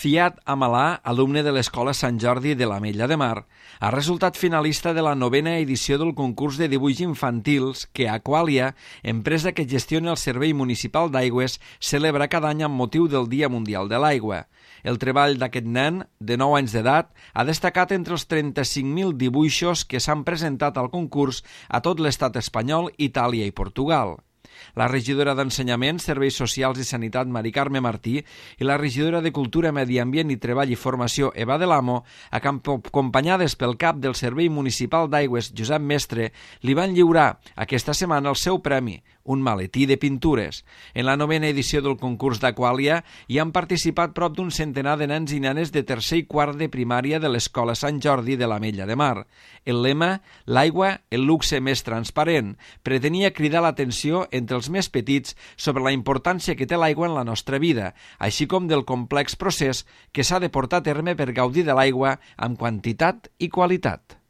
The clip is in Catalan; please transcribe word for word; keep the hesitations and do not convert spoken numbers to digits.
Fiat Amalà, alumne de l'Escola Sant Jordi de l'Ametlla de Mar, ha resultat finalista de la novena edició del concurs de dibuix infantils que Aqualia, empresa que gestiona el Servei Municipal d'Aigües, celebra cada any amb motiu del Dia Mundial de l'Aigua. El treball d'aquest nen, de nou anys d'edat, ha destacat entre els trenta-cinc mil dibuixos que s'han presentat al concurs a tot l'estat espanyol, Itàlia i Portugal. La regidora d'Ensenyament, Serveis Socials i Sanitat, Mari Carme Martí, i la regidora de Cultura, Medi Ambient i Treball i Formació, Eva de l'Amo, acompanyades pel cap del Servei Municipal d'Aigües, Josep Mestre, li van lliurar aquesta setmana el seu premi, un maletí de pintures. En la novena edició del concurs d'Aquàlia hi han participat prop d'un centenar de nens i nenes de tercer i quart de primària de l'Escola Sant Jordi de l'Ametlla de Mar. El lema, l'aigua, el luxe més transparent, pretenia cridar l'atenció entre els més petits sobre la importància que té l'aigua en la nostra vida, així com del complex procés que s'ha de portar a terme per gaudir de l'aigua amb quantitat i qualitat.